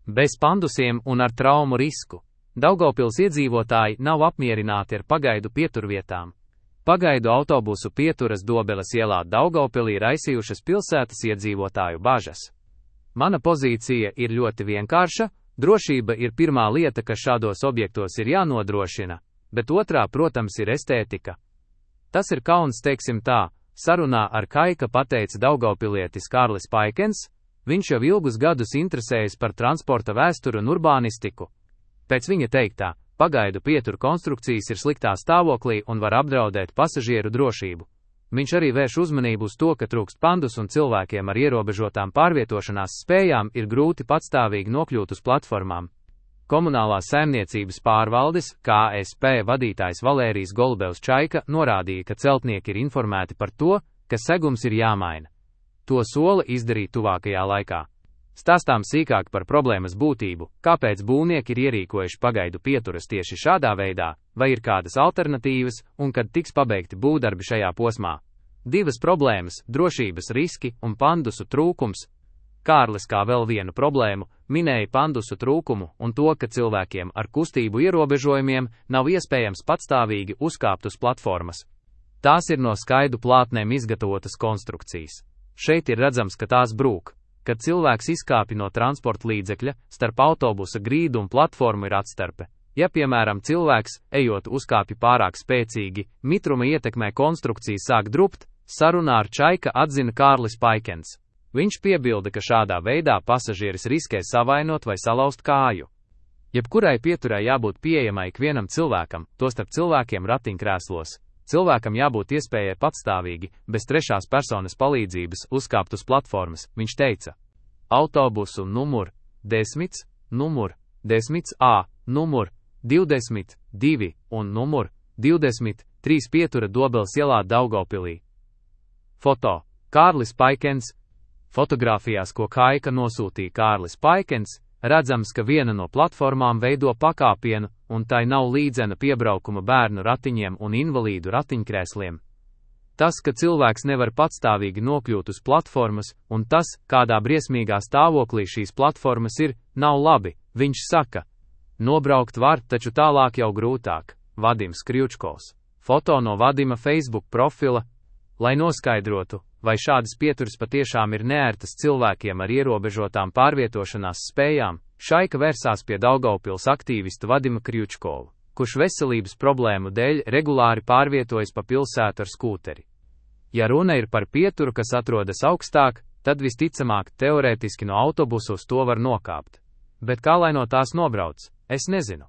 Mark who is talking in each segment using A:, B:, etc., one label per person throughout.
A: Bez pandusiem un ar traumu risku. Daugavpils iedzīvotāji nav apmierināti ar pagaidu pieturvietām. Pagaidu autobusu pieturas Dobeles ielā Daugavpilī raisījušas pilsētas iedzīvotāju bažas. Mana pozīcija ir ļoti vienkārša, drošība ir pirmā lieta, kas šādos objektos ir jānodrošina, bet otrā, protams, ir estētika. Tas ir kauns, teiksim tā, sarunā ar Kaika pateica daugavpilietis Kārlis Paikens, viņš jau ilgus gadus interesējas par transporta vēsturu un urbānistiku. Pēc viņa teiktā, pagaidu pieturu konstrukcijas ir sliktā stāvoklī un var apdraudēt pasažieru drošību. Viņš arī vērš uzmanību uz to, ka trūkst pandus un cilvēkiem ar ierobežotām pārvietošanās spējām ir grūti patstāvīgi nokļūt uz platformām. Komunālās saimniecības pārvaldes, KSP vadītājs Valērijs Golubevs Čaika norādīja, ka celtnieki ir informēti par to, ka segums ir jāmaina. To sola izdarīt tuvākajā laikā. Stāstām sīkāk par problēmas būtību, kāpēc būvnieki ir ierīkojuši pagaidu pieturas tieši šādā veidā, vai ir kādas alternatīvas, un kad tiks pabeigti būvdarbi šajā posmā. Divas problēmas - drošības riski un pandusu trūkums. Kārlis kā vēl vienu problēmu minēja pandusu trūkumu un to, ka cilvēkiem ar kustību ierobežojumiem nav iespējams patstāvīgi uzkāpt uz platformas. Tās ir no skaidu plātnēm izgatavotas konstrukcijas. Šeit ir redzams, ka tās brūk. Kad cilvēks izkāpj no transporta līdzekļa, starp autobusa grīdu un platformu ir atstarpe. Ja, piemēram, cilvēks, ejot uzkāpj pārāk spēcīgi, mitruma ietekmē konstrukcija sāk drupt, sarunā ar Čaika atzina Kārlis Paikens. Viņš piebilda, ka šādā veidā pasažieris riskē savainot vai salauzt kāju. Jebkurai pieturai jābūt pieejamai ikvienam cilvēkam, tostarp cilvēkiem ratiņkrēslos. Cilvēkam jābūt iespējai patstāvīgi, bez trešās personas palīdzības, uzkāpt uz platformas, viņš teica. Autobusu numur 10, numur 10A, numur 22 un numur 23 pietura Dobeles ielā Daugavpilī. Foto. Kārlis Paikens. Fotogrāfijās, ko Kaika nosūtīja Kārlis Paikens, redzams, ka viena no platformām veido pakāpienu, un tai nav līdzena piebraukuma bērnu ratiņiem un invalīdu ratiņkrēsliem. Tas, ka cilvēks nevar patstāvīgi nokļūt uz platformas, un tas, kādā briesmīgā stāvoklī šīs platformas ir, nav labi, viņš saka. Nobraukt var, taču tālāk jau grūtāk. Vadims Kriučkovs. Foto no Vadima Facebook profila. Lai noskaidrotu, vai šādas pieturas patiešām ir neērtas cilvēkiem ar ierobežotām pārvietošanās spējām, Šaika vērsās pie Daugavpils aktīvista Vadima Kriučkovu, kurš veselības problēmu dēļ regulāri pārvietojas pa pilsētu ar skūteri. Ja runa ir par pieturu, kas atrodas augstāk, tad visticamāk teorētiski no autobusa uz to var nokāpt. Bet kā lai no tās nobrauc, es nezinu.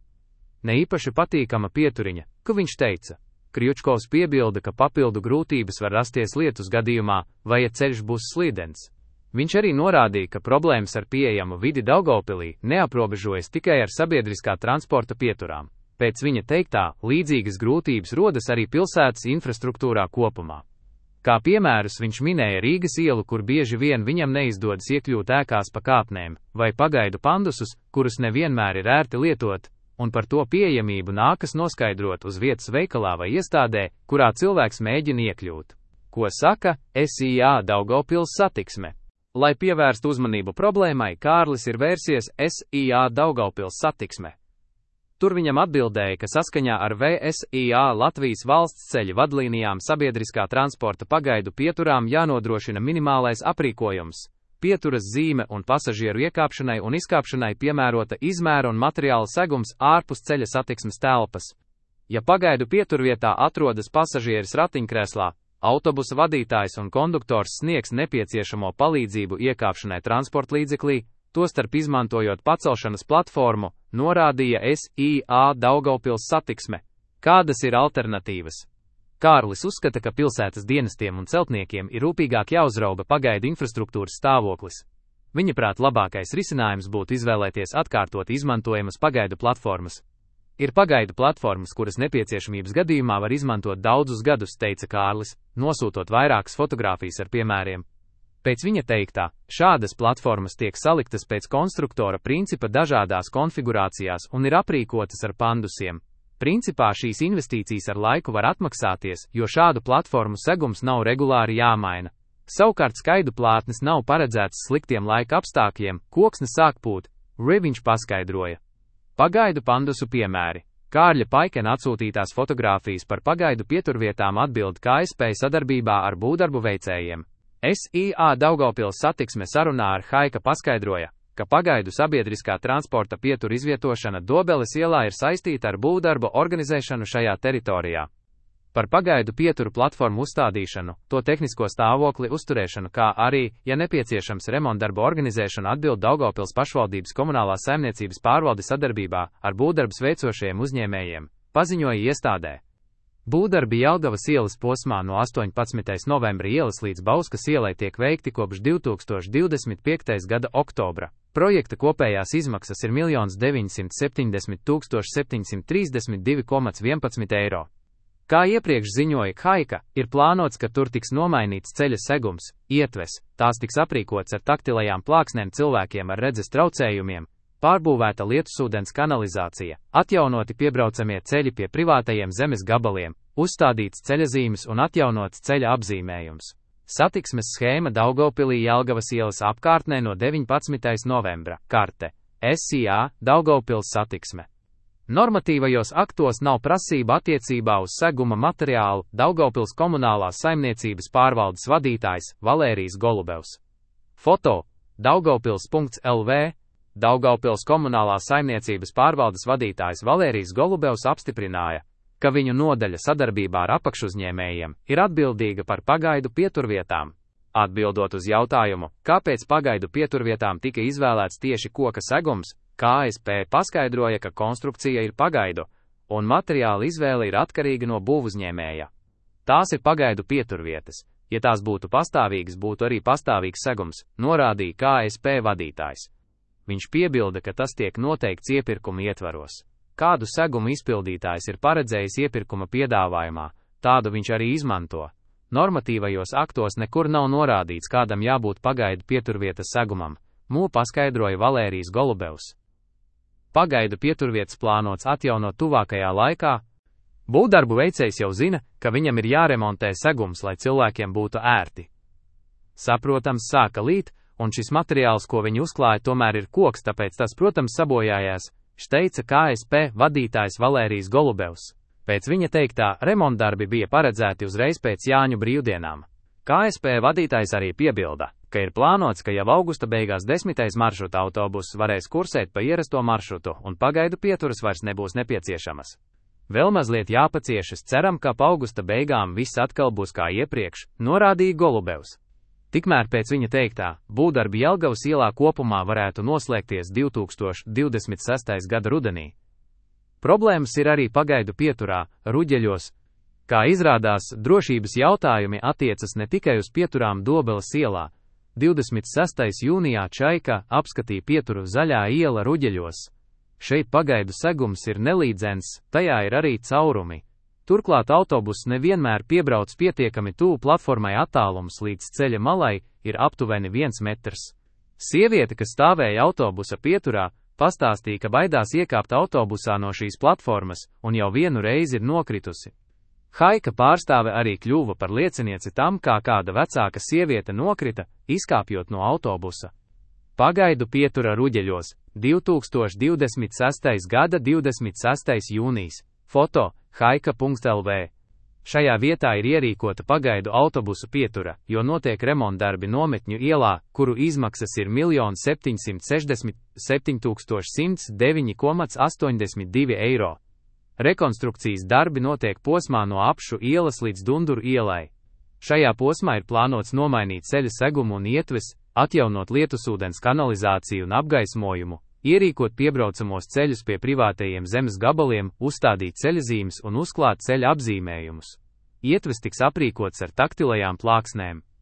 A: Ne īpaši patīkama pieturiņa, ka viņš teica. Kriučkovs piebilda, ka papildu grūtības var rasties lietus gadījumā, vai ja ceļš būs slīdens. Viņš arī norādīja, ka problēmas ar pieejamu vidi Daugavpilī neaprobežojas tikai ar sabiedriskā transporta pieturām. Pēc viņa teiktā, līdzīgas grūtības rodas arī pilsētas infrastruktūrā kopumā. Kā piemērus viņš minēja Rīgas ielu, kur bieži vien viņam neizdodas iekļūt ēkās pa kāpnēm, vai pagaidu pandusus, kurus nevienmēr ir ērti lietot, un par to pieejamību nākas noskaidrot uz vietas veikalā vai iestādē, kurā cilvēks mēģina iekļūt. Ko saka SIA Daugavpils satiksme? Lai pievērstu uzmanību problēmai, Kārlis ir vērsies SIA Daugavpils satiksme. Tur viņam atbildēja, ka saskaņā ar VSIA Latvijas valsts ceļu vadlīnijām sabiedriskā transporta pagaidu pieturām jānodrošina minimālais aprīkojums. Pieturas zīme un pasažieru iekāpšanai un izkāpšanai piemērota izmēra un materiāla segums ārpus ceļa satiksmes telpas. Ja pagaidu pieturvietā atrodas pasažieris ratiņkrēslā, autobusa vadītājs un konduktors sniegs nepieciešamo palīdzību iekāpšanai transportlīdzeklī, tostarp izmantojot pacelšanas platformu, norādīja SIA Daugavpils satiksme. Kādas ir alternatīvas? Kārlis uzskata, ka pilsētas dienestiem un celtniekiem ir rūpīgāk jāuzrauga pagaidu infrastruktūras stāvoklis. Viņaprāt, labākais risinājums būtu izvēlēties atkārtot izmantojamas pagaidu platformas. Ir pagaidu platformas, kuras nepieciešamības gadījumā var izmantot daudzus gadus, teica Kārlis, nosūtot vairākas fotogrāfijas ar piemēriem. Pēc viņa teiktā, šādas platformas tiek saliktas pēc konstruktora principa dažādās konfigurācijās un ir aprīkotas ar pandusiem. Principā šīs investīcijas ar laiku var atmaksāties, jo šādu platformu segums nav regulāri jāmaina. Savukārt skaidu plātnes nav paredzētas sliktiem laika apstākļiem, koksne sāk pūt, Viņš paskaidroja. Pagaidu pandusu piemēri. Kārļa Paikena atsūtītās fotogrāfijas par pagaidu pieturvietām atbild KSP sadarbībā ar būvdarbu veicējiem. SIA Daugavpils satiksme sarunā ar Haika paskaidroja, ka pagaidu sabiedriskā transporta pieturu izvietošana Dobeles ielā ir saistīta ar būvdarbu organizēšanu šajā teritorijā. Par pagaidu pieturu platformu uzstādīšanu, to tehnisko stāvokli uzturēšanu, kā arī, ja nepieciešams, remontdarbu organizēšanu atbild Daugavpils pašvaldības komunālās saimniecības pārvalde sadarbībā ar būvdarbus veicošajiem uzņēmējiem, paziņoja iestādē. Būvdarbi Jelgavas ielas posmā no 18. novembra ielas līdz Bauskas ielai tiek veikti kopš 2025. gada oktobra. Projekta kopējās izmaksas ir 1 970 732,11 eiro. Kā iepriekš ziņoja Haika, ir plānots, ka tur tiks nomainīts ceļa segums, ietves, tās tiks aprīkots ar taktilajām plāksnēm cilvēkiem ar redzes traucējumiem, pārbūvēta lietusūdens kanalizācija, atjaunoti piebraucamie ceļi pie privātajiem zemes gabaliem, uzstādīts ceļazīmes un atjaunots ceļa apzīmējums. Satiksmes schēma Daugavpilī Jelgavas ielas apkārtnē no 19. novembra. Karte. SIA Daugavpils satiksme. Normatīvajos aktos nav prasība attiecībā uz seguma materiālu. Daugavpils komunālās saimniecības pārvaldes vadītājs Valērijs Golubevs. Foto Daugavpils.lv. Daugavpils komunālās saimniecības pārvaldes vadītājs Valērijs Golubevs apstiprināja, ka viņu nodaļa sadarbībā ar apakšuzņēmējiem ir atbildīga par pagaidu pieturvietām. Atbildot uz jautājumu, kāpēc pagaidu pieturvietām tika izvēlēts tieši koka segums, KSP paskaidroja, ka konstrukcija ir pagaidu, un materiāla izvēle ir atkarīga no būvuzņēmēja. Tās ir pagaidu pieturvietas. Ja tās būtu pastāvīgas, būtu arī pastāvīgs segums, norādīja KSP vadītājs. Viņš piebilda, ka tas tiek noteikts iepirkuma ietvaros. Kādu segumu izpildītājs ir paredzējis iepirkuma piedāvājumā, tādu viņš arī izmanto. Normatīvajos aktos nekur nav norādīts, kādam jābūt pagaidu pieturvietas segumam, paskaidroja Valērijs Golubevs. Pagaidu pieturvietas plānots atjaunot tuvākajā laikā. Būvdarbu veicējs jau zina, ka viņam ir jāremontē segums, lai cilvēkiem būtu ērti. Saprotams, sāka līt, un šis materiāls, ko viņi uzklāja, tomēr ir koks, tāpēc tas, protams, sabojājās, teica KSP vadītājs Valērijs Golubevs. Pēc viņa teiktā, remontdarbi bija paredzēti uzreiz pēc Jāņu brīvdienām. KSP vadītājs arī piebilda, ka ir plānots, ka jau augusta beigās 10. maršruta autobuss varēs kursēt pa ierasto maršrutu un pagaidu pieturas vairs nebūs nepieciešamas. Vēl mazliet jāpaciešas, ceram, ka pa augusta beigām viss atkal būs kā iepriekš, norādīja Golubevs. Tikmēr pēc viņa teiktā, būvdarbi Jelgavas ielā kopumā varētu noslēgties 2026. gada rudenī. Problēmas ir arī pagaidu pieturā, Ruģeļos. Kā izrādās, drošības jautājumi attiecas ne tikai uz pieturām Dobeles ielā. 26. jūnijā Čaika apskatīja pieturu Zaļā iela Ruģeļos. Šeit pagaidu segums ir nelīdzens, tajā ir arī caurumi. Turklāt autobuss nevienmēr piebrauc pietiekami tuvu platformai, attālums līdz ceļa malai ir aptuveni 1 metrs. Sieviete, kas stāvēja autobusa pieturā, pastāstīja, ka baidās iekāpt autobusā no šīs platformas un jau vienu reizi ir nokritusi. Haika pārstāve arī kļuva par liecinieci tam, kā kāda vecāka sieviete nokrita, izkāpjot no autobusa. Pagaidu pietura Ruģeļos, 2026. gada 26. jūnijas. Foto Haika.lv. Šajā vietā ir ierīkota pagaidu autobusu pietura, jo notiek remontdarbi Nometņu ielā, kuru izmaksas ir 1 767 109,82 eiro. Rekonstrukcijas darbi notiek posmā no Apšu ielas līdz Dunduru ielai. Šajā posmā ir plānots nomainīt ceļa segumu un ietves, atjaunot lietusūdens kanalizāciju un apgaismojumu, ierīkot piebraucamos ceļus pie privātajiem zemes gabaliem, uzstādīt ceļazīmes un uzklāt ceļa apzīmējumus. Ietves tiks aprīkots ar taktilajām plāksnēm.